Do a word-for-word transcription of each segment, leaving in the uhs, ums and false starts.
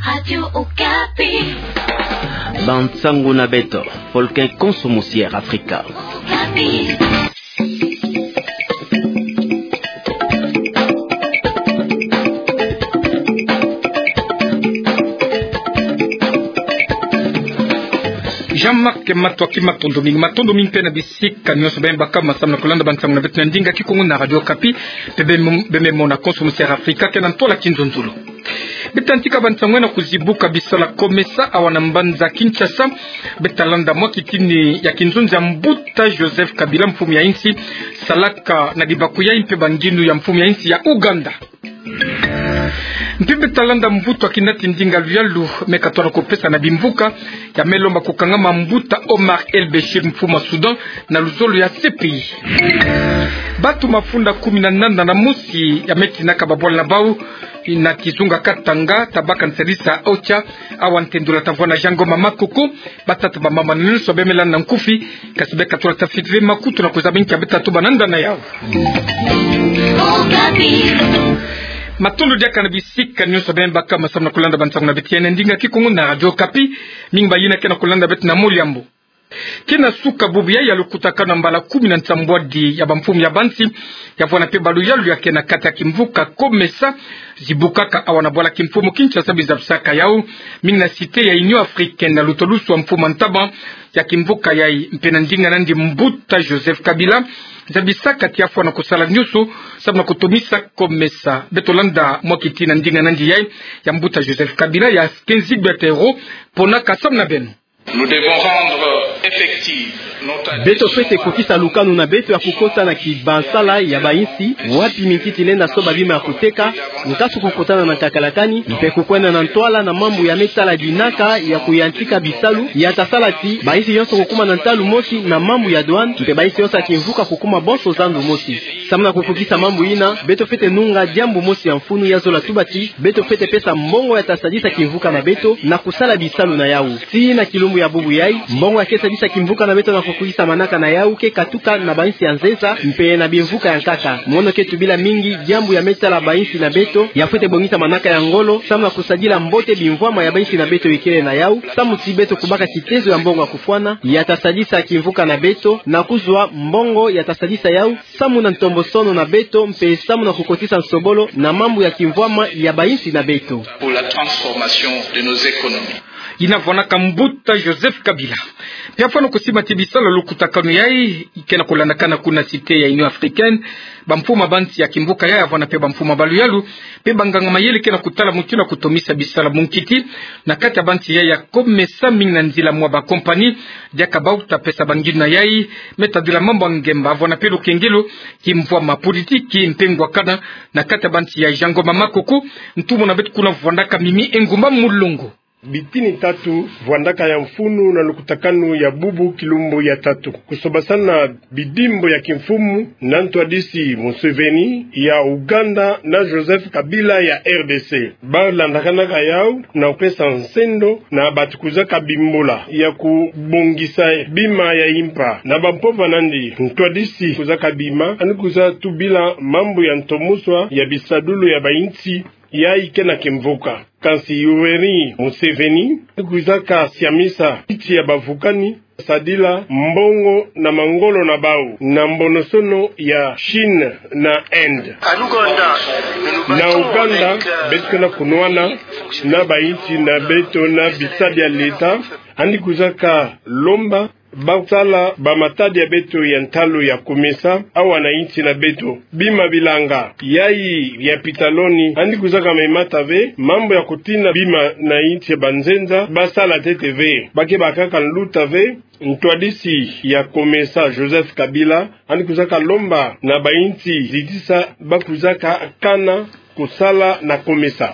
Radio Okapi. Bansangu na beto, folke konso musi ya Afrika. Okapi. Jean-Marc Mato, aki matondo mingi, matondo mingi mpe na bisika nyonso beno baka masamu na kulanda bansangu na beto na ndinga Kikongo na Radio Okapi, mpe beno, beno mona konso musi ya Afrika, kena ntwala kinzonzolo. Beto yantika bansangu na kuzibuka bisala COMESA awa na mbanza Kinshasa. Beto landa mwa kitini ya kinzonzi ya mbuta Joseph Kabila, mfumu ya insi, salaka na dibaku yayi mpe bangindu ya mfumu ya insi ya Ouganda. Mpe beto landa mvutu ya kinati ndinga luyalu me katwala kupesa na bimvuka ya me lomba kukangama mbuta Omar El-Béchir, mfumu ya Soudan, na luzolo ya C P I. Bantu mafunda kumi na nana na mosi ya me tinaka babwala na bau na kizunga Katanga, tabaka nsalisa OCHA, awa ntendula tavwa na Jean Ngoma Makoko. Batata, bamama, nyonso beno me landa na nkufi, kasi beno katwala tafiti ve makutu na kuzaba nki ya beto tatu bananda na yau. Matondo diaka na bisika nyonso beno baka masamu na kulanda bansangu na beto ya na ndinga Kikongo na Radio Okapi. Mingi bayina kena kulanda beto na moli yambo. Kena suka bubu yayi ya lukutakanu ya mbala kumi na nsambwadi ya bamfumu ya bansi, ya vwanda mpe baluyalu ya kena kati ya kimvuka COMESA, zibukaka awa na bwala kimfumu Kinshasa, bizabisaka yau mingi na cité ya Union Africaine na lutolusu wa mfumu ya ntama ya kimvuka yayi mpe na ndinga nandi mbuta Joseph Kabila, zabisaka ti ya vwanda kusala nyonso samu na kutomisa COMESA. Beto landa mwa kitini ya ndinga nandi yayi ya mbuta Joseph Kabila ya Kenzi Betero, pona kasamu na beno. Nous devons rendre effective notre... Beto fwete kokisa lukanu na beto ya kukota na kibansala ya bainsi, wapi minkiti lenda soba bima ya kuteka, nkasu kukutana na ntakalakani, mpe kukwenda na ntwala na mambu ya me tala dinaka ya kuyantika bisalu, ya tasala ti bainsi yonso kukuma na ntalu mosi na mambu ya douane, mpe bainsi yonso ya kimvuka kukuma bonso zandu mosi. Samu na kufukisa mambu yina, beto fwete nunga diambu mosi ya mfunu, ya zola tuba ti beto fwete pesa mbongo ya tasadisa kimvuka na beto na kusala bisalu na yau. Tii na kilumbu ya bubu yayi, mbongo ya ke sadisa kimvuka na beto na kufukisa manaka na yau ke katuka na bainsi ya nzenza mpe na bimvuka ya nkaka. Mono ke tubila mingi diambu ya me tala bainsi na beto ya fwete bongisa manaka ya ngolo samu na kusadila mbote bimvwama ya bainsi na beto ikele na yau, samu ti beto kubaka kitezo ya mbongo ya kufwana ya tasadisa kimvuka na beto na kuzwa mbongo ya tasadisa yau samu na ntombosono na beto, mpe samu na kukotisa nsobolo na mambu ya kimvwama ya bainsi na beto. Pour la transformation de nos économies. Yina vwanaka mbuta Joseph Kabila. Mpe afwana kusima ti bisalu ya lukutakanu yayi kena kulandakana kuna cité ya Union Africaine, bamfumu ya bansi ya kimvuka yayi, vwana mpe bamfumu ya baluyalu, mpe banganga mayele kena kutala mutindu ya kutomisa bisalu munkiti na kati ya bansi yayi ya COMESA, mingi na nzila mwa ba compagnie, diaka bau ta pesa bangindu na yayi me tadila mambu ya ngemba, vwana mpe lukengelo, kimvwama, politiki mpe ngwakana na kati ya bansi yayi. Jean Ngoma Makoko, ntumwa na beto kuna vwandaka Mimi Engumba Mulongo. Bitini tatu vwandaka ya mfunu na lukutakanu ya bubu kilumbu ya tatu. Kusobasana bidimbu ya kimfumu na ntwadisi Museveni ya Ouganda na Joseph Kabila ya R D C. Balandakanaka yau na kupesa nsendo na bantu kwiza kabimbula ya kubongisa bima ya impa. Na bampova nandi, ntwadisi kwiza kabima, yandi kwiza tubila mambu ya ntomuswa ya bisadulu ya bainsi yayi ke na kimvuka. Kansi Yoweri Museveni kwiza kasiamisa insi ya bavukani, sadila mbongo na mangolo na bau na mbonosono ya Chine na Inde. Na Ouganda, beto ke na kunwana na bainsi na beto na bisadi ya leta, yandi kwiza kalomba basala bamatadi ya beto ya ntalu ya COMESA awa na insi na beto. Bima bilanga yayi ya pitaloni, yandi kwiza kamemata ve. Mambu ya kutina bima na insi ya banzenza, basala ntete ve. Ba ke bakaka nluta ve. Ntwadisi ya COMESA, Joseph Kabila, yandi kwiza kalomba na bainsi zitisa ba kwiza kakana kusala na COMESA.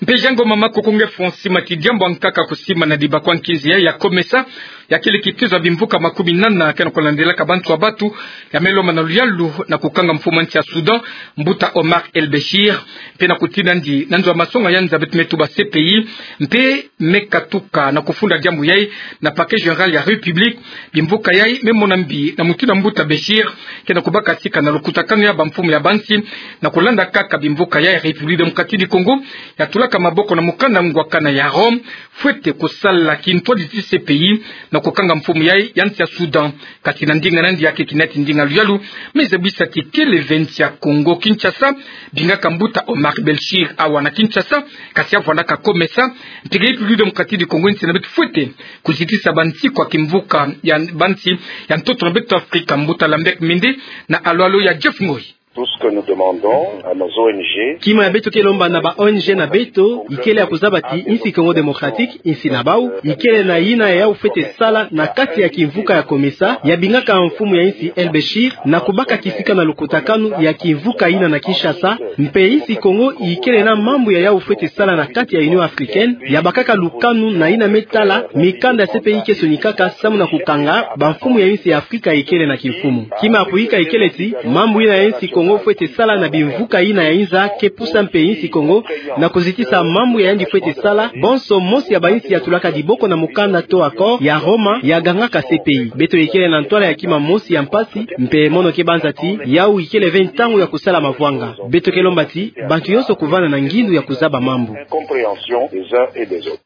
Mpe Jean Ngoma Makoko, nge fwa sima ti diambu ya nkaka kusima na dibaku ya nkinzi ya, ya COMESA, Ya kele kitezo ya bimvuka makumi nana ke na kulandelaka bantu ya batu ya me lomba na luyalu na kukanga mfumu ya nsi ya Soudan, mbuta Omar El-Béchir, mpe na kutinandi na nzo ya masonga ya nza beto me tuba C P I, mpe me katuka na kufunda diambu yai na Parquet Général ya République. Bimvuka yai me mona mbi na mutindu ya mbuta Béchir ke na kubaka sika na lukutakanu ya bamfumu ya bansi, na kulanda kaka bimvuka yai, République Démocratique du Congo ya tulaka maboko na mukanda ngwakana ya Rome, fwete kusala kintwadi ti C P I na kukanga mfumu yai ya nsi ya Soudan. Kati na ndinga nandi ya ke kinati ndinga luyalu, me zabisa ti kele ve nsi ya Congo Kinshasa, bingaka mbuta Omar El-Béchir awa na Kinshasa, kasi ya vwandaka COMESA, mpe ke République Démocratique du Congo, nsi na beto fwete kuzitisa bansi kwa kimvuka ya bansi ya ntoto na beto Afrika, mbuta Lambert Mende na alwalo ya Jeff Ngoyi. Tout ce que nous demandons à nos O N G. Kima ya beto ke lomba na ba O N G na beto, ikele ya kuzaba ti nsi Congo Démocratique, nsi na bau, ikele na yina ya yau fwete sala na kati ya kimvuka ya COMESA, ya bingaka mfumu ya nsi El-Béchir, na kubaka kisika na lukutakanu ya kimvuka yina na Kinshasa, mpe nsi Congo ikele na mambu ya yau fwete sala na kati ya Union Africaine, ya bakaka lukanu na yina me tala mikanda C P I ke sonikaka samu na kukanga bamfumu ya nsi ya Afrika ikele na kimfumu. Kima ya kuyika ikele ti mambu yina ya nsi Congo fwete sala na bimvuka yina ya inza ke pusa mpe nsi Congo na kuzitisa mambu ya yandi fwete sala, bonso mosi ya bansi ya tulaka diboko na mukanda to accord ya Roma ya gangaka C P I. Beto ikele na ntwala ya kima mosi ya mpasi, mpe mono ke banza ti yau ikele ve ntangu ya kusala mavwanga. Beto ke lomba ti bantu yonso kuvanda na ngindu ya kuzaba mambu. Compréhension des uns et des autres.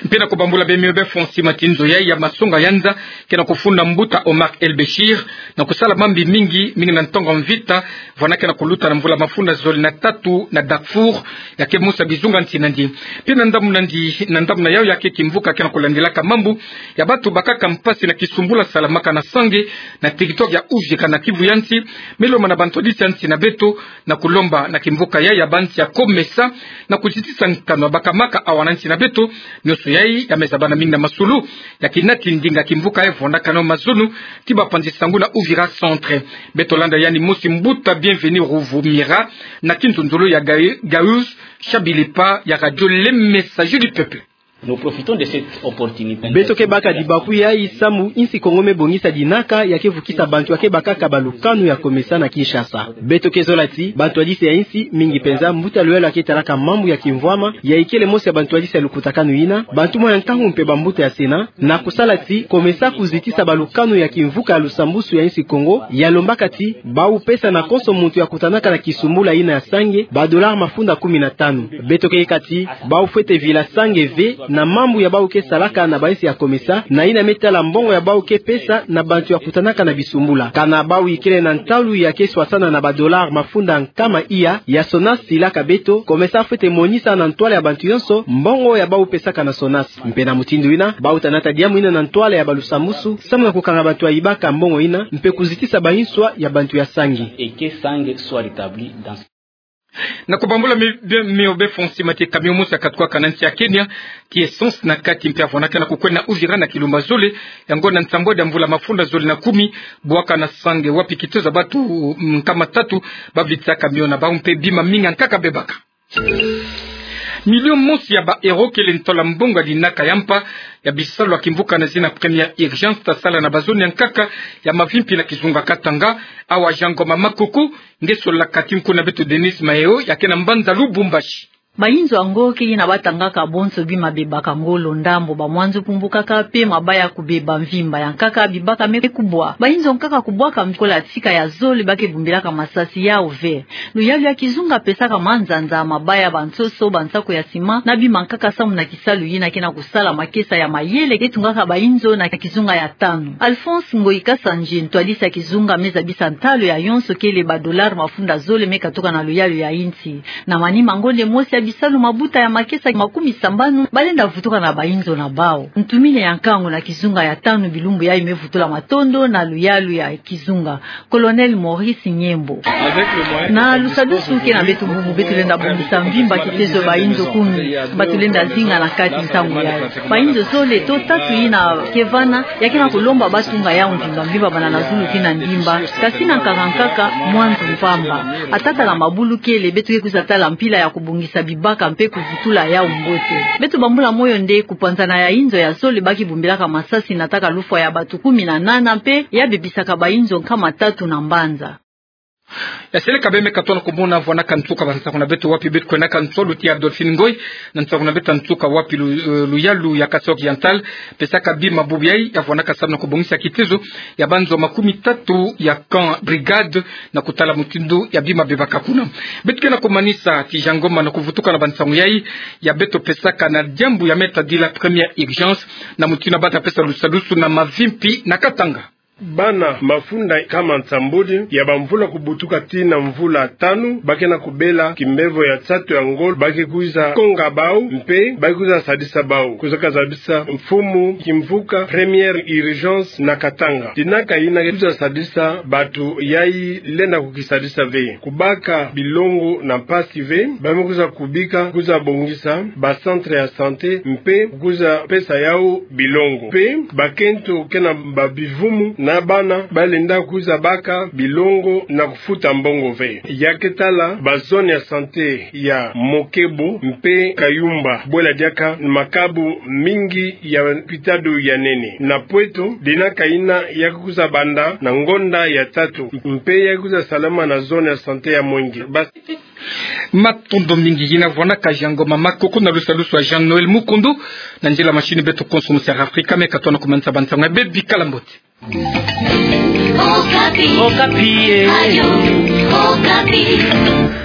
Mpe na kubambula bemio befo nsi mati nzo yai ya masonga ya nza ke na kufunda mbuta Omar El-Béchir na kusala mambi mingi, mingi na ntangu ya mvita, vwanda ke na kuluta na mvula mafunda zole na tatu na Darfour, ya ke mosi ya bizunga nsi nandi. Mpe na ndambu nandi, na ndambu na yau ya ke kimvuka ke na kulandilaka mambu ya batu bakaka mpasi na kisumbula salamaka na Sange, na territoire ya Uvira na Kivu ya nsi, me lomba na bantwadisi ya nsi na beto, na kulomba na kimvuka yai ya bansi ya COMESA na kuzitisa nkanu ya bakamaka awa na nsi na beto. Nionso yai ya me zabana mingi na masolo ya kinati ndinga kimvuka yai vwandaka nao mazono ti bapanzi sango na Uvira Centre. Beto landa yandi mosi, mbuta Bienvenu Ruvumira, na kinzonzolo ya Gaï-, Gaius Shabilipa ya Radio Le Messager du Peuple. Nous profitons de cette opportunité. Beto ke baka dibaku yai samu nsi Congo me bongisa dinaka ya ke vukisa bantu ya ke bakaka balukanu ya COMESA na Kinshasa. Beto ke zola ti bantwadisi ya nsi, mingi penza mbuta luyalu ya ke talaka mambu ya kimvwama, ya ikele mosi ya bantwadisi ya lukutakanu yina, bantu mwa ya nkangu mpe bambuta ya Sénat, na kusala ti COMESA kuzitisa balukanu ya kimvuka ya lusambusu ya nsi Congo, ya lombaka ti bau pesa na konso muntu ya kutanaka na kisumbula yina ya Sange ba dollars mafunda kumi na tanu. Beto ke yika ti bau fwete vila Sange ve na mambu ya bau ke salaka na bansi ya COMESA, na yina me tala mbongo ya bau ke pesa na bantu ya kutanaka na bisumbula. Kana bau ikele na ntalu ya ke swasana na ba dollars mafunda nkama iya, ya SONAS silaka beto, COMESA fwete monisa na ntwala ya bantu yonso mbongo ya bau pesaka na SONAS. Mpe na mutindu yina, bau tanata diambu yina na ntwala ya balusambusu, samu na kukanga bantu ya ibaka mbongo yina, mpe kuzitisa banswa ya bantu ya Sange. Et que Sange soit rétabli dans... Na kubambula mi-, bi-, mio befo nsi mati, camion mosi ya katuka na nsi ya Kenya, ti essence na kati, mpe ya vwandaka na kukwenda Uvira na kilumba zole, ya ngonda nsambwadi ya mvula mafunda zole na kumi, bwaka na Sange, wapi kitezo ya batu, mm, nkama tatu ba vitisa camion na bau, mpe bima mingi ya nkaka bebaka. Million mosi ya ba euros kele ntwala mbongo ya dinaka ya mpa ya bisalu ya kimvuka na zina Première Urgence ta sala na ba zone ya nkaka ya Mavimpi na kizunga Katanga, awa Jean Ngoma Makoko, nge sololaka ti nkunga beto Denis Maheo, ya ke na mbanza Lubumbashi. Bayinzo yango ke yina ba tangaka bonso bima bebaka ngolo, ndambo ba mwanzu pumbukaka, mpe mabaya kubeba, mvimba ya nkaka bibaka me kubwa. Bayinzo nkaka kubwaka kola tika ya zole ba ke bumbilaka masasi yau ve. Luyalu ya kizunga pesaka manzanza, mabaya, bansoso, bansako ya sima, na bima nkaka samu na kisalu yina ke na kusala makesa ya mayele ke tungaka bayinzo na kizunga ya tanu. Alphonse Ngoyi Kasanje, ntwadisi ya kizunga, me zabisa ntalo ya yonso kele ba dollars mafunda zole me katuka na luyalu ya insi. Na manima ngonde mosi ya bisalu, mabuta ya makesa makumi sambanu ba lenda vutuka na bayinzo na bau. Ntumine ya nkangu na kizunga ya tanu, bilumbu yai me vutula matondo na luyalu ya kizunga. Colonel Maurice Nyembo. Na lusadusu ke na beto bubu, beto lenda bongisa mvimba kitezo bayinzo kumi ba tulenda zinga na kati ntangu yai. Bayinzo zole to tatu yina ke vana, ya ke na kulomba ba tunga yau mvimba mvimba, banda na zulu tii na ndimba, kasi na nkaka nkaka mwanzu mpamba. Ata tala mabulu kele, beto ke kwiza tala mpila ya kubongisa baka mpe kuvutula yau mbote. Beto bambula moyo nde kupanzana ya inzo ya zole ba kibumbilaka masasi nataka lufwa ya bato kumi na nana mpe ya bebisaka ba inzo nkama tatu na mbanza. Ya seleka beme katona kumona vwanaka nsuka ba nsangu na beto wapi beto kwenaka nsuka luti ya Adolphine Ngoy, na nsangu na beto nsuka wapi lu-, eh, luyalu ya Kasaï Oriental, pesaka bima bubu yai, ya vwanaka samu na kubongisa kitezo ya banzo makumi tatu ya camp brigade, na kutala mutindu ya bima bebaka kuna. Beto ke na kumanisa ti Jean Ngoma na kuvutuka na ba nsangu yai, ya beto pesaka na diambu ya meta dila première urgence, na mutindu ya bata pesa lusalusu na mavimpi na Katanga. Bana mafunda nkama nsambuli ya bamvula kubutuka tii na mvula tanu, ba ke na kubela kimbevo ya nsatu ya ngolo, ba ke kwiza konga bau, mpe ba ke kwiza sadisa bau. Kwiza kazabisa mfumu kimvuka première urgence na Katanga. Dina kayina kwiza sadisa bato yai lenda kukisadisa ve. Kubaka bilongo na mpasi ve, ba me kwiza kubika, kwiza bongisa ba centre ya santé, mpe kwiza pesa yau bilongo. Mpe bakento ke na ba bivumu na bana ba lenda kwiza baka bilongo na kufuta mbongo ve. Ya ke tala ba zone ya santé ya Mokebo mpe Kayumba, bwela diaka makabu mingi ya lopitalo ya nene. Na Pweto, dina kayina ya ke kwiza banda na ngonda ya tatu, mpe ya ke kwiza salama na zone ya santé ya Mwenge. Bas- Matondo mingi. Yina vwanaka Jean Ngoma Makoko na lusalusu ya Jean Noël Mukundu, na nzila machine beto konso mu Sud Afrika, me katona kumanisa ba nsangu ya bebi, kala mbote. Okapi. Okapi, eh. Radio Okapi.